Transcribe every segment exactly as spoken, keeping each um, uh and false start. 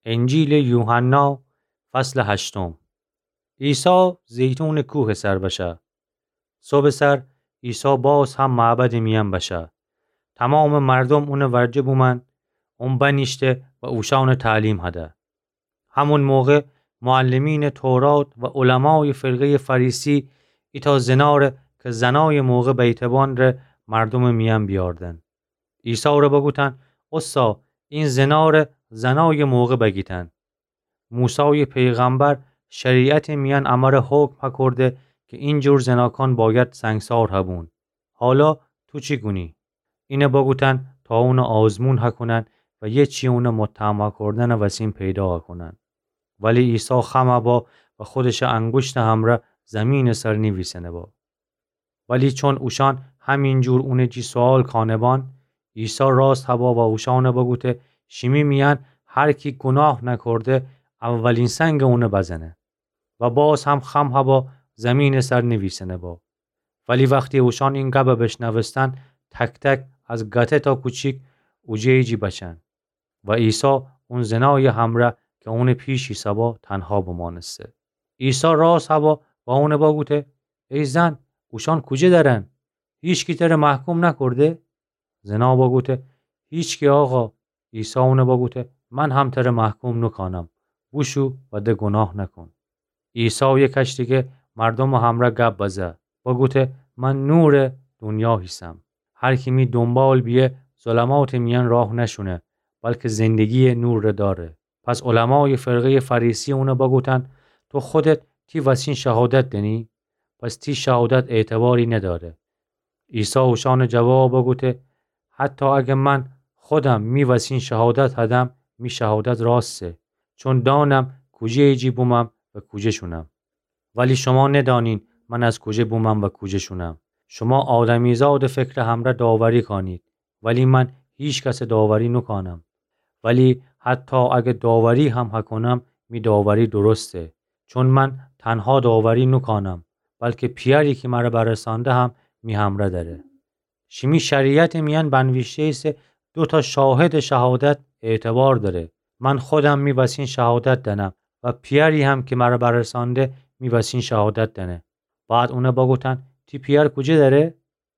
انجیلٚ یوحنا، فصلٚ هشتم. عیسی زیتونٚ کوهٚ سر بشه. صبحٚ سر عیسی باز هم معبدٚ میأن بشه. تومامٚ مردوم اونٚ ورجه بومأن. اون بنیشته و اوشأنٚ تعلیم هده. همون موقع معلمینٚ تورات و علمایٚ فرقه‌یٚ فریسی ایتأ زناره کی زنایٚ موقع بیته بان ره مردومٚ میأن بیاردن. عیسی ره بگوتن: اوستا، این زناره زنایٚ موقع بگیتن. موسایٚ پیغمبر شریعتٚ میأن امره حکم هکورده کی اینجور زناکان باید سنگسار هبون. حالا تو چی گونی؟ اینه بگوتن تا اونه آزمون هکونن و یه چی اونه متهم هکردنٚ وسین پیدا هکونن. ولی عیسی خم هبا و خودشٚ انگوشتٚ همرأ زیمینٚ سر نیویسنه با. ولی چون اوشأن همینجور اونٚ جی سوال کانه بان، عیسی راست هبا و اوشأنٚ بگوته: شیمی میأن هر کی گوناه نکرده، اولین سنگ اونه بزنه. و باز هم خم هبا زیمینٚ سر نیویسنه با. ولی وختی اوشأن این گب بشنوستن، تک‌تک از گته تا کوچیک اوجه‌یٚ جی بچن. و عیسی اون زنایٚ همرأ کی اونٚ پیش ایسه‌با تنها بمانسته. عیسی راست هبا و اونه بگوته: ای زن، اوشأن کوجه درن؟ هیچکی تره محکوم نکرده؟ زنا بگوته: هیچکی، آقا. عیسی اونه بگوته: من هم تره محکوم نوکانم. بوشو و ده گوناه نکون. عیسی یه کش دیگه مردومٚ همرأ گب بزه. بگوته: من نورٚ دونیا هیسم. هر کی می دونبال بیه، ظلماتٚ میأن راه نشونه، بلکی زندگی‌یٚ نور ره داره. پس علمایٚ فرقه‌یٚ فریسی اونه بگوتن: تو خودت تی وسین شهادت دنی؟ پس تی شهادت اعتباری نداره. عیسی اوشأنٚ جواب بگوته: حتی اگه من خودم می وسین شهادت هدم، می شهادت راسته، چون دانم کوجه‌یٚ جی بومم و کوجه شونم. ولی شما ندانین من از کوجه بومم و کوجه شونم. شما آدمیزادٚ فکرٚ همرأ داوری کانید، ولی من هیکسٚ داوری نوکانم. ولی حتی اگه داوری هم هکونم، می داوری درسته، چون من تنها داوری نوکانم، بلکی پیأری کی مره برسانده هم می همرأ دره. شیمی شریعتٚ میأن بنویشته ایسه: دو تا شاهدٚ شهادت اعتبار داره. من خودم می وسین شهادت دنم و پیأری هم کی مره برسانده می وسین شهادت دنه. بعد اونه بگوتن: تی پیأر کوجه دره؟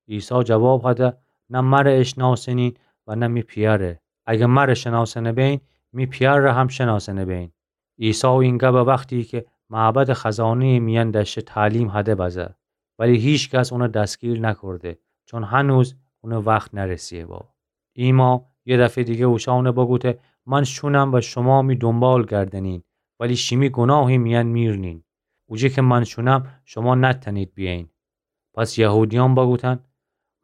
عیسی جواب هده: نه مره اشناسنین و نه می پیأره. اگه مره شناسنه بین، می پیأر ره هم شناسنه بین. عیسی این گب وختی کی معبدٚ خزانه‌یٚ میأن دأشه تعلیم هده بزه، ولی هیکس اونه دستگیر نکرده، چون هنوز اونٚ وخت نرسیه با. ایما یه دفعه دیگه اوشأنه بگوته: من شونم و شما می دونبال گردنین، ولی شیمی گوناهٚ میأن میرنین. اوجه کی من شونم، شما نتأنید بیأیین. پس یهودیأن بگوتن: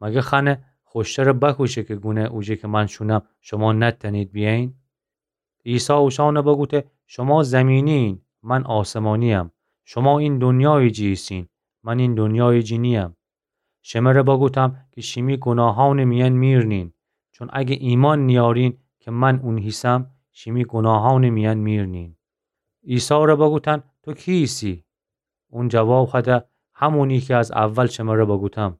مگه خأنه خوشتره بکوشه کی گونه اوجه کی من شونم، شما نتأنید بیأیین؟ عیسی اوشأنه بگوته: شما زیمینی‌یین، من آسمانی‌یم. شما این دونیایٚ جی ایسین، من این دونیایٚ جی نی‌یم. شمره بگوتم کی شیمی گوناهأنٚ میأن میرنین، چون اگه ایمأن نیأرین کی من اون هیسم، شیمی گوناهأنٚ میأن میرنین. عیسی ره بگوتن: تو کی ایسی؟ اون جواب هده: همونی کی از اول شمره بگوتم.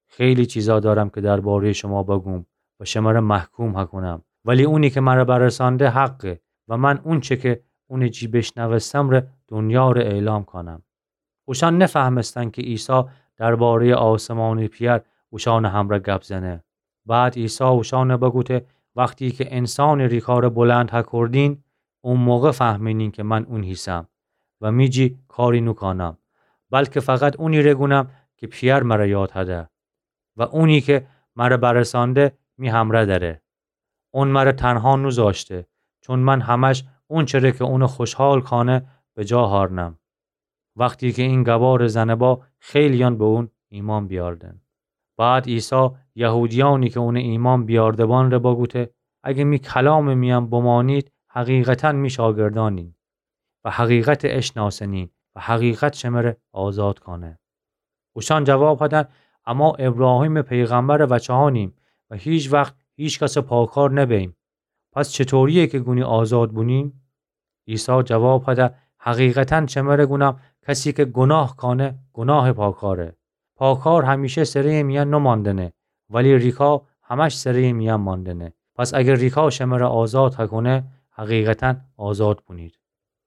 خیلی چیزا دأرم کی درباره‌یٚ شما بگوم و شمره محکوم هکونم، ولی اونی کی مره برسانده حقه و من اونچه کی اونٚ جی بیشنوستم ره دونیا ره اعلام کانم. اوشأن نفهمستن کی عیسی درباره‌یٚ آسمانٚ پیأر اوشأنٚ همرأ گب زنه. بعد عیسی اوشأنه بگوته: وختی کی انسانٚ ریکا ره بلند هکردین، او موقع فهمینین کی من اون هیسم و می جی کاری نوکانم، بلکی فقط اونی ره گونم کی پیأر مره یاد هده و اونی کی مره برسانده می همرأ دأره. اون مره تنها نوذاشته، چون من همش اونچه ره کی اونه خوشحال کانه بجا هأرنم. وختی کی این گبا ره زنه با، خیلییأن به اون ایمأن بیأردن. بعد عیسی یهودیأنی کی اونه ایمأن بیأرده‌بان ره بگوته: اگه می کلامٚ میأن بمأنید، حقیقتاً می شاگردأنین و حقیقت اشناسنین و حقیقت شمره آزاد کانه. اوشأن جواب هدن: اما ایبراهیمٚ پیغمبرٚ وچه‌یأنیم و هیکس وخت هیکسٚ پاکار نبه‌ییم. پس چطورییه کی گونی آزاد بونیم؟ عیسی جواب هده: حقیقتاً شمره گونم، کسی کی گوناه کانه، گوناه پاکاره. پاکار همیشه سره‌یٚ میأن نمأندنه، ولی ریکا همش سره‌یٚ میأن مأندنه. پس اگر ریکا شمره آزاد هکونه، حقیقتاً آزاد بونید.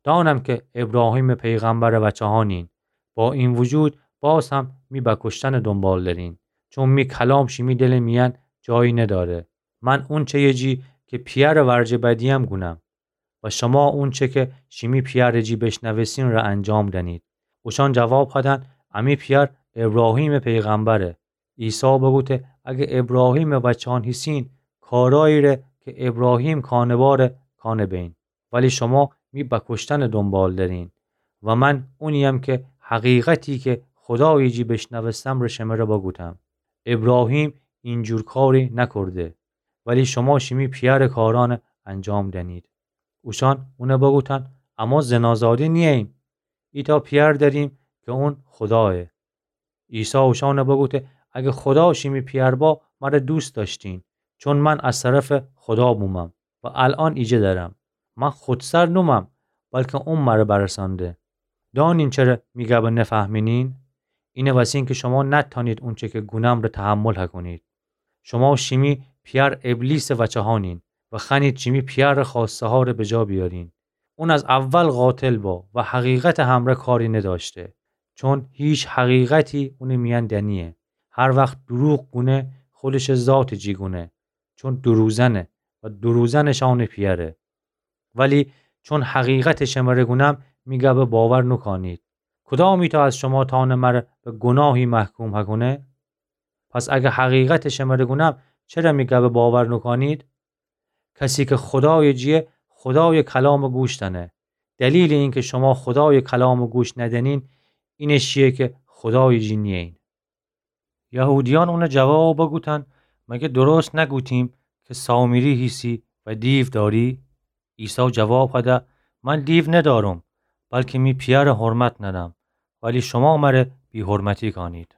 دانم کی ابراهیمٚ پیغمبرٚ وچه‌ها نین، با این وجود باز هم می بکشتنٚ دونبال درین، چون می کلام شیمی دلٚ میأن جایی نداره. من اونچه‌یٚ جی کی پیأرٚ ورجه بدییم گونم و شما اونچه کی شیمی پیأرٚ جی بیشنوستین ره انجام دأنید. اوشأن جواب هدن، امی پیأر ابراهیمٚ پیغمبره. عیسی بوگفته، اگر ابراهیمٚ وچه‌ان هیسین، کارأیی ره کی ابراهیم کانه باره کانه بین. ولی شما می بکشتنٚ دونبال درین و من اونییم کی حقیقتی کی خودایٚ جی بیشنوستم ره شمره بوگفتم. ابراهیم اینجور کاری نکرده، ولی شما شیمی پیأرٚ کارأن انجام دأنید. اوشأن اون بوگفتن، اما زنازاده نیییم. ایتأ پیأر دأریم کی اون خودایه. عیسی اوشأن بوگفته، اگر خودا شیمی پیأر با، مر دوست دأشتین، چون من از طرفٚ خودا بومم و الأن ایجه درم. من خودسر نومم، بلکی اون مر برسأنده. دأنین چره می گب نفهمینین؟ اینه وسین کی شما نتأنید اونچه کی گونم ره تحمل هکونید. شما شیمی پیأر ابلیسٚ وچه‌هانین و خوأنید شیمی پیأرٚ خوأسته‌ها ره بجا بیأرین. اون از اول قاتل با و حقیقتٚ همره کاری ندأشته، چون هیچ حقیقتی اونٚ میأن دنییه. هر وخت دروغ گونه، خودشٚ ذاتٚ جی گونه، چون دروزنه و دروزنٚ شأنٚ پیأره. ولی چون حقیقتٚ شمره گونم، می گب باور نوکأنید. کدامیتأ از شما تأنه مر به گوناهی محکوم هکونه؟ پس اگر حقیقتٚ شمره گونم، چره می گب باور نوکأنید؟ کسی کی خودایٚ جیه، خودایٚ کلام گوش دأنه. دلیلٚ اینکی شما خودایٚ کلام گوش ندأنین، اینه شیه کی خودایٚ جی نییین. یهودیأن اون جواب بوگفتن، مگر درست نگوتیم کی سامری هیسی و دیو دأری؟ عیسی جواب هده، من دیو ندأرم، بلکی می پیأر حرمت نأنم، ولی شما مر بی‌حرمتی کأنید.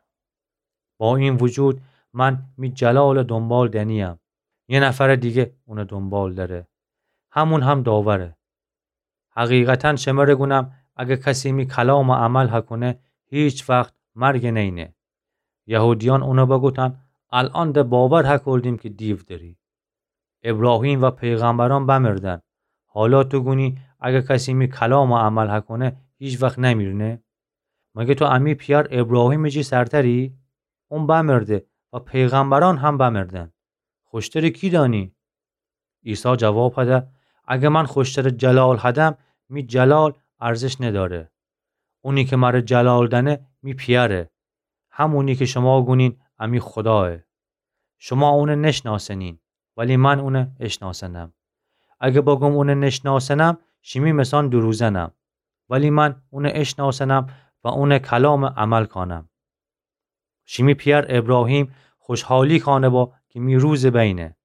با این وجود من می جلالٚ دونبال دنییم. یه نفرٚ دیگه اونٚ دونبال دره. همون هم داوره. حقیقتاً شمره گونم، اگر کسی می کلام عمل هکونه، هیچ وخت مرگ نینه. یهودیأن اون بوگفتن، الأن د باور هکردیم کی دیو دری. ابراهیم و پیغمبرأن بمردن. حالا تو گونی، اگر کسی می کلام عمل هکونه، هیچ وخت نمیرنه؟ مگر تو امی پیأر ابراهیمٚ جی سرتری؟ اون بمرده و پیغمبرأن هم بمردن. خوشترٚ کی دأنی؟ عیسی جواب هده، اگر من خوشترٚ جلال هدم، می جلال ارزش ندأره. اونی کی مر جلال دأنه، می پیأره. همونی کی شما گونین امی خودایه. شما اون نشنأسنین، ولی من اون اشنأسنم. اگر بگوم اون نشنأسنم، شیمی مثأن دروزنم. ولی من اون اشنأسنم و اونٚ کلام عمل کأنم. شیمی پیأر ابراهیم خوشحالی کأنه با کی می روزٚ بینه.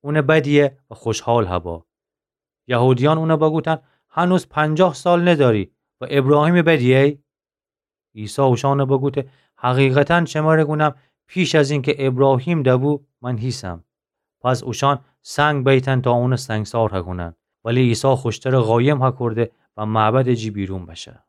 اون بدیه و خوشحال هبا. یهودیأن اون بوگفتن، هنوز پنجاه سال ندأری و ابراهیمٚ بدیی؟ عیسی اوشأن بوگفته، حقیقتاً شمر گونم، پیش از اینکی ابراهیم دبو، من هیسم. پس اوشأن سنگ بیتن تا اون سنگسار هکونن. ولی عیسی خوشترٚ قایم هکرده و معبدٚ جی بیرون بشه.